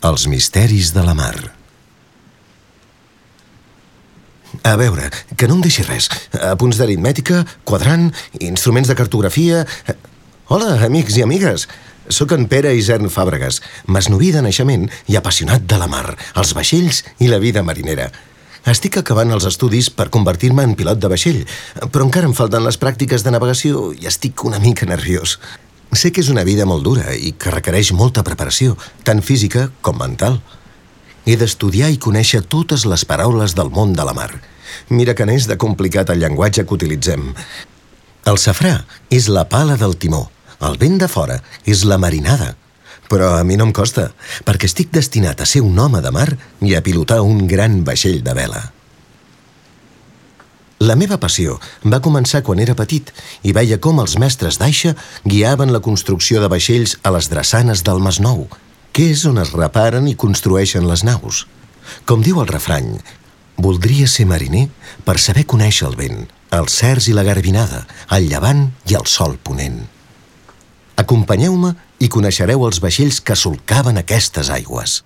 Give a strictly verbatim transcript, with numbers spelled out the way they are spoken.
Els misteris de la mar. A veure, que no em deixi res. Apunts d'aritmètica, quadrant, instruments de cartografia... Hola, amics i amigues. Soc en Pere Isern Fàbregas, masnoví de naixement i apassionat de la mar, els vaixells i la vida marinera. Estic acabant els estudis per convertir-me en pilot de vaixell, però encara em falten les pràctiques de navegació i estic una mica nerviós. Sé que és una vida molt dura i que requereix molta preparació, tant física com mental. He d'estudiar i conèixer totes les paraules del món de la mar. Mira que n'és de complicat el llenguatge que utilitzem. El safrà és la pala del timó, el vent de fora és la marinada. Però a mi no em costa, perquè estic destinat a ser un home de mar i a pilotar un gran vaixell de vela. La meva passió va començar quan era petit i veia com els mestres d'aixa guiaven la construcció de vaixells a les drassanes del Masnou, que és on es reparen i construeixen les naus. Com diu el refrany, voldria ser mariner per saber conèixer el vent, els cerç i la garbinada, el llevant i el sol ponent. Acompanyeu-me i coneixereu els vaixells que solcaven aquestes aigües.